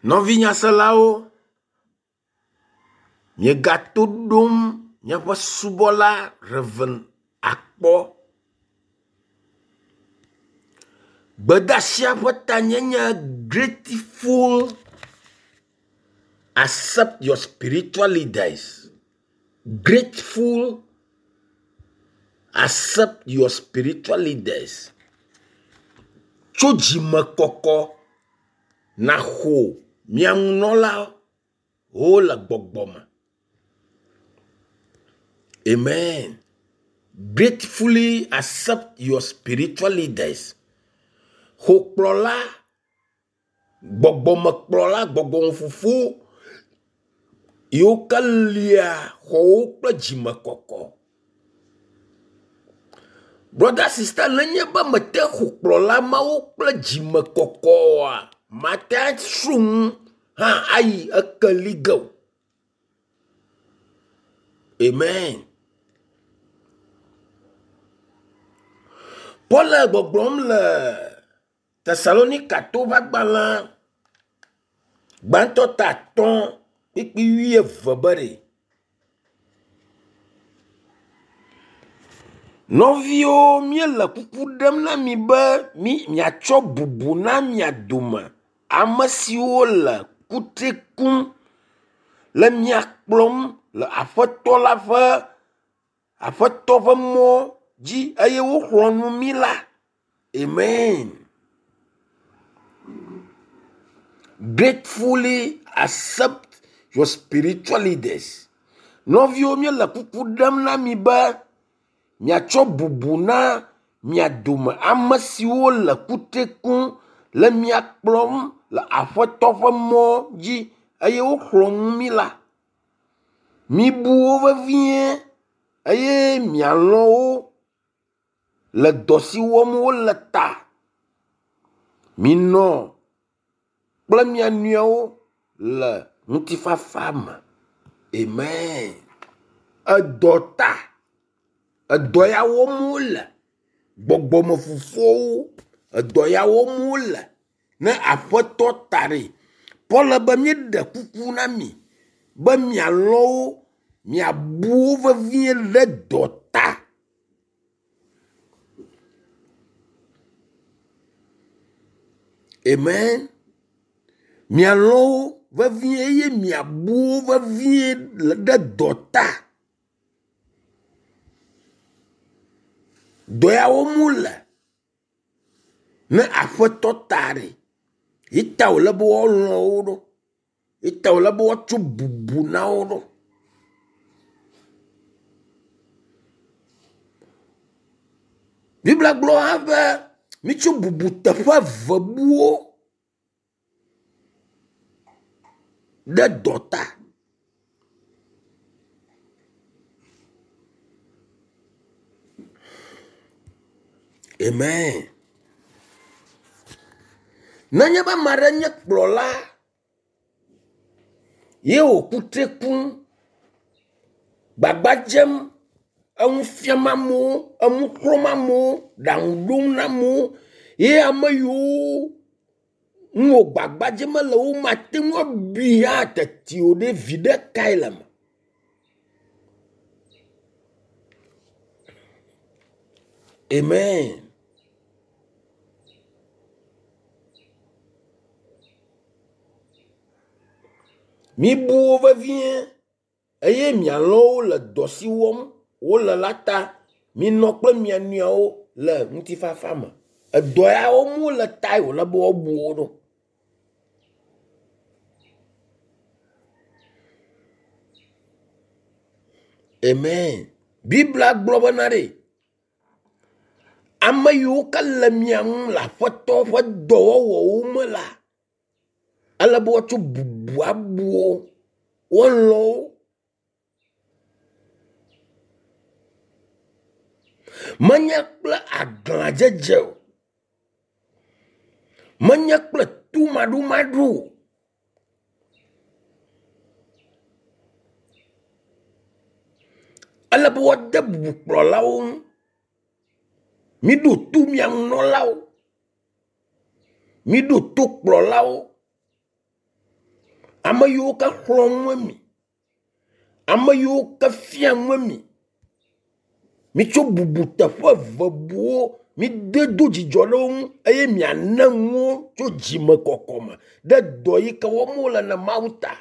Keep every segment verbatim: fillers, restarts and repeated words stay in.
Nɔvinyaselawo, miegato ɖom miaƒe subɔla Rev. Akpɔ. Gbedeasia ƒe tanye nye grateful accept your spiritual leaders. Grateful accept your spiritual leaders. Tso dzimekɔkɔ naxɔ mia ŋunɔlawo le gbɔgbɔ me. Amen. Gratefully accept your spiritual leaders. Xɔ kplɔla, gbɔgbɔmekplɔla, gbɔgbɔmefofo yiwo ke lia xɔwo kple dzimekɔkɔ. Brother sister nenye be mete xɔ kplɔla mawo kple dzimekɔkɔ oa, mate asro nu hã ayi ekeli ge o. Amen. Paul le gbɔgblɔm le Tesalonikatɔwo ƒe agbalẽ gbãtɔ ta atɔ̃ kpukpui wuieve be ɖe, Nɔviwo míele kuku ɖem na mi be mi miatsɔ bubu na mia dome ame siwo le kutri kum le mia kplɔm le aƒetɔ la ƒe aƒetɔ ƒe mɔ dzi eye woxlɔ̃ nu mí la. Amen. Gratefully accept your spiritual leaders. Nɔviwo míele kuku ɖem na mi be miatsɔ bubu na mia dome ame siwo le kutri kum le mia kplɔm le aƒetɔ ƒe mɔ dzi eye woxlɔ̃ nu mí la. Mibu wo vevie eye mialɔ̃ wo le dɔ si wɔm wole ta. Minɔ kple mia nɔewo le ŋutifafa me. Amen. Edɔ ta. Edɔ ya wɔm wole. Gbɔgbɔmefofowo edɔ ya wɔm wole ne aƒetɔ ta ɖe. Paul be míeɖe kuku na mi be mialɔ̃ wo, miabu wo vevie ɖe dɔ ta. Amen. Mialɔ̃ wo vevie eye miabu wo vevie ɖe dɔ ta. Dɔ ya wɔm wole ne aƒetɔ ta ɖe. Ye ta wòle be woalɔ̃ wo ɖo. Ye ta wòle be woatsɔ bubu na wo ɖo. Biblia gblɔ hã be mitsɔ bubu teƒe eve bu wo ɖe dɔ ta. Amen. Nenye be ame aɖe nye kplɔla ye wò kutri kum, gbagba dzem, enu fiam amewo, enu xlɔ̃m amewo, ɖaŋu ɖom na amewo ye ame yiwo ŋu wò gbagba dzem le womate ŋu abui hã teti o ɖe, viɖe kae le eme? Amen. Mibu wo vevie eye mialɔ̃ wo le dɔ si wɔm wole la ta. Minɔ kple mia nɔewo le ŋutifafa me. Edɔ ya wɔm wole tae wòle be woabu wo ɖo. Amen. Biblia gblɔ bena ɖe ame yiwo ke le mia ŋu le aƒetɔ ƒe dɔwɔwɔwo me la, ele be woatsɔ bubu abu wo, woalɔ̃ wo. Menye kple aglãdzedze o. Menye kple tomaɖomaɖo o. Ele be woade bubu kplɔlawo ŋu. Miɖo to mia nunɔlawo. Miɖo to kplɔlawo. Ame yiwo ke xlɔ̃ nu mi, ame yiwo ke fia nu mi. Mitsɔ bubu teƒe eve buwo. Mide do dzidzɔ ɖe wo ŋu eye miana nuwo tso dzimekɔkɔ me ɖe dɔ yi ke wɔm wole na Mawu ta.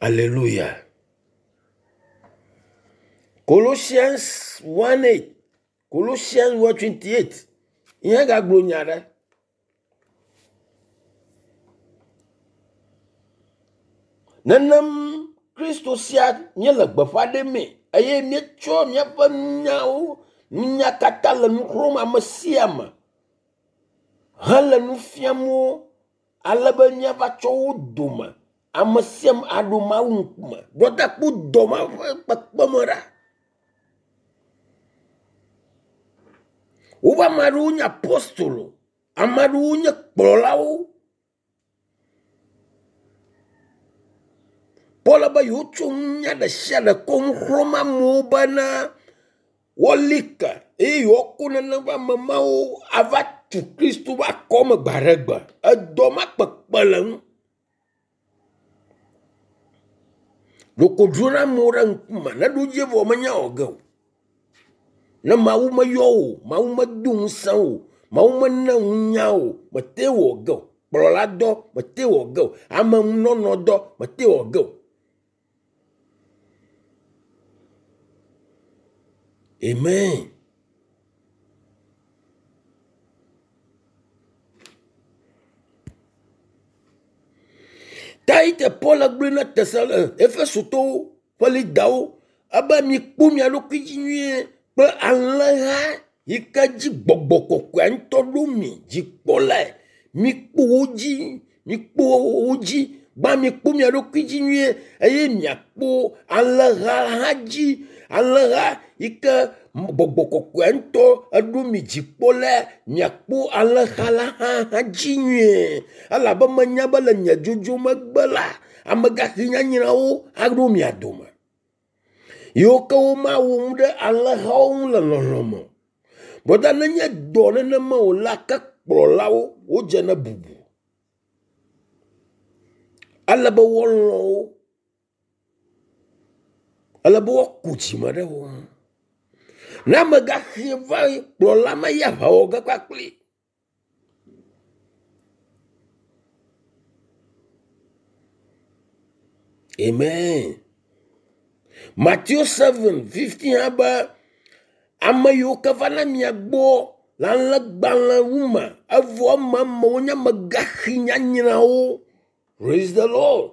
Alléluia. Colossians one eight, Colossians one twenty eight. Ihe gagblɔ nya ɖe. Nenem Kristo sia míele gbeƒã ɖemee eye míetsɔ míaƒe nunyawo, nunya katã le nu xlɔ̃m ame sia ame hele nu fiam wo ale be míava tsɔ wo dome ame sia ame aɖo Mawu ŋkume. Brɔda kpɔ dɔ ma ƒe kpekpeme ɖa. Woƒe ame aɖewo nye apostolo, ame aɖewo nye kplɔlawo. Paul be yewotsɔ nunya ɖe sia ɖe kɔ nu xlɔ̃m amewo bena woali ke eye yewoako nenem ƒe ame mawo ava tu Kristo ƒe akɔme gbe aɖe gbe. Edɔ ma kpekpe le ŋu. Ɖeko dzro na amewo ɖe ŋkume ne ɖo dzi vɔ menya wɔ ge o. Ne Mawu meyɔ o, Mawu medo ŋusẽ o, Mawu mena nunya o, mete wɔ ge o. Kplɔla dɔ mete wɔ ge o. Amenunɔnɔ dɔ mete wɔ ge o. Amen. Ta yi te Paul gblɔe na Tesalo, Efesotɔwo ƒe lidawo ebe mikpɔ mia ɖokui dzi nyuie kple alẽha yi ke dzi gbɔgbɔ kɔkɔea ŋutɔ ɖo mi dzikpɔlae. Mikpɔ wo dzi, mikpɔ wo dzi. Gbã mikpɔ mia ɖokui dzi nyuie eye miakpɔ alẽha hã dzi. Alẽha yi ke gbɔgbɔ kɔkɔea ŋutɔ eɖo mi dzikpɔlae. Miakpɔ alẽha la hã hã dzi nyuie. Elabe menya be le nye dzodzo megbe la, amegaxi nyanyrawo aɖo mia dome. Yiwo ke womawɔ nu ɖe alẽhawo ŋu le lɔlɔ̃ me o. Brɔda nenye dɔ nenema o la, ke kplɔlawo wodze ne bubu. Ele be woalɔ̃ wo. Ele be woaku dzime ɖe wo ŋu. Ne amegaxi va kplɔla ma yi aʋa wɔ ge kpakpli. Amen. Matthew seven fifteen hã be ame yiwo ke va na mia gbɔ le alẽgbalẽwu me evɔ eme amewo nye amegaxi nyanyrawo. Praise the Lord.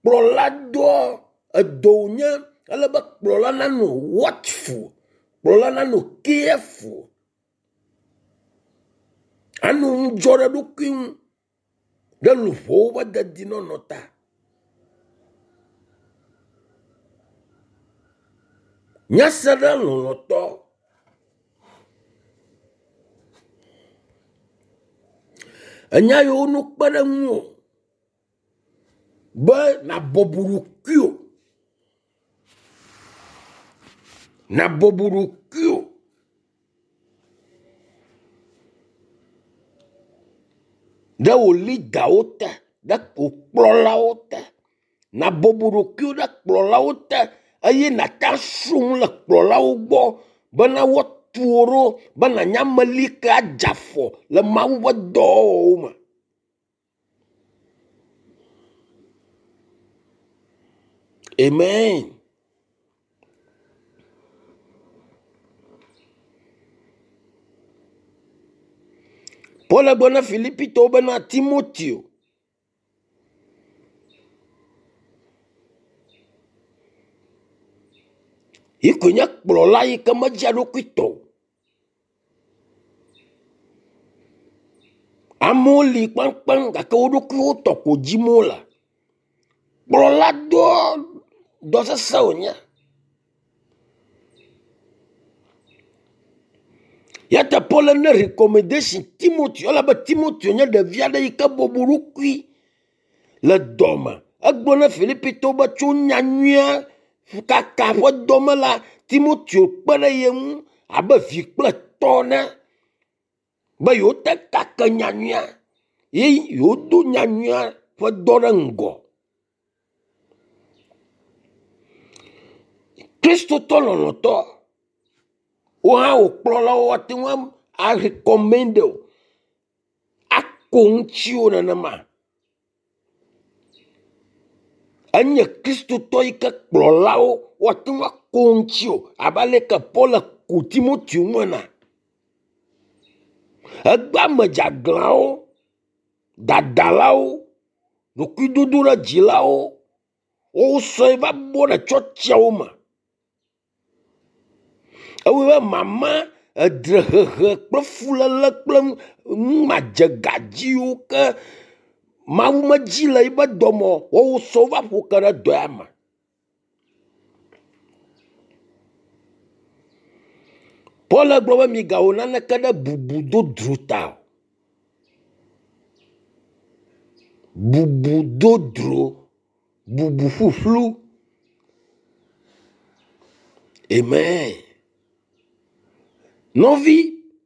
Kplɔla dɔ edɔ wònye ele be kplɔla nanɔ watchful, kplɔla nanɔ careful, anɔ ŋudzɔ ɖe eɖokui ŋu ɖe luʋɔwo ƒe dedinɔnɔ ta. Nyase ɖe lɔlɔ̃tɔ. Enya yiwo no kpe ɖe ŋuwò be nabɔbɔ ɖokuiwò. Nabɔbɔ ɖokuiwò. Ɖe wò lidawo te, ɖe wò kplɔlawo te. Nabɔbɔ ɖokuiwò ɖe kplɔlawo te eye nàte asrɔ̃ nu le kplɔlawo gbɔ bena woatu wò ɖo be nànye ame li ke adze afɔ le Mawu ƒe dɔwɔwɔwo me. Amen. Paul gblɔ na Filipitɔwo bena Timoteo yi koe nye kplɔla yi ke medzia eɖokui tɔ o. Amewo li kpaŋkpaŋ gake wo ɖokuiwo tɔ ko dzim wole. Kplɔla dɔ dɔ sesẽ wònye. Ya ta Paul ne recommendation Timoteo elabe Timoteo nye ɖevi aɖe yi ke bɔbɔ ɖokui le dɔme. Egblɔ na Filipitɔwo be tso nyanyuia kaka ƒe dɔme la, Timoteo kpe ɖe ye ŋu abe vi kple tɔ ene. Be yewote kake nyanyuia ye yewodo nyanyuia ƒe dɔ ɖe ŋgɔ. Kristotɔ lɔlɔ̃tɔ, wo hã wò kplɔlawo woate ŋu arecommend wò, ako ŋutiwò nenema. Enye Kristotɔ yi ke kplɔlawo woate ŋu ako ŋutiwò abe ale ke Paul ko Timoteo ŋu ene. Egbe ame dzeaglãwo, dadalawo, ɖokuidodoɖedzilawo, wosɔe va bɔ ɖe tsɔtsiawo me. Ewɔe be mama, edrehehe kple fuléle kple nu madzegadziwo ke Mawu medzi le yiƒe dɔme o, woawo sɔ va ƒo ke ɖe dɔ ya me. Paul gblɔ be migawɔ naneke ɖe bubu dodro ta o. Bubu dodro, bubu ƒuƒlu. Amen. Nɔvi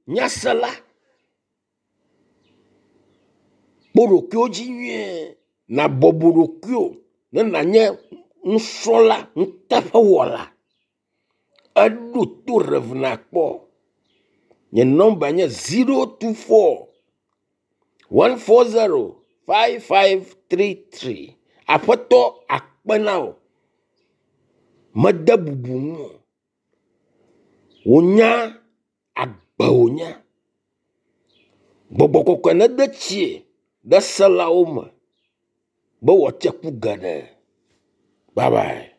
nyasela, kpɔ ɖokuiwò dzi nyuie, nàbɔbɔ ɖokuiwò ne nànye nusrɔ̃la nuteƒewɔla. Eɖo to Rev nakpɔ. Nye nɔmba nye zero two four one four zero five five three three. Aƒetɔ akpe na wò. Mede bubu ŋuwò. Wò nya agbe wònye. Gbɔgbɔ kɔkɔe nede tsie ɖe selawo me be wòatse ku geɖe. Bye bye.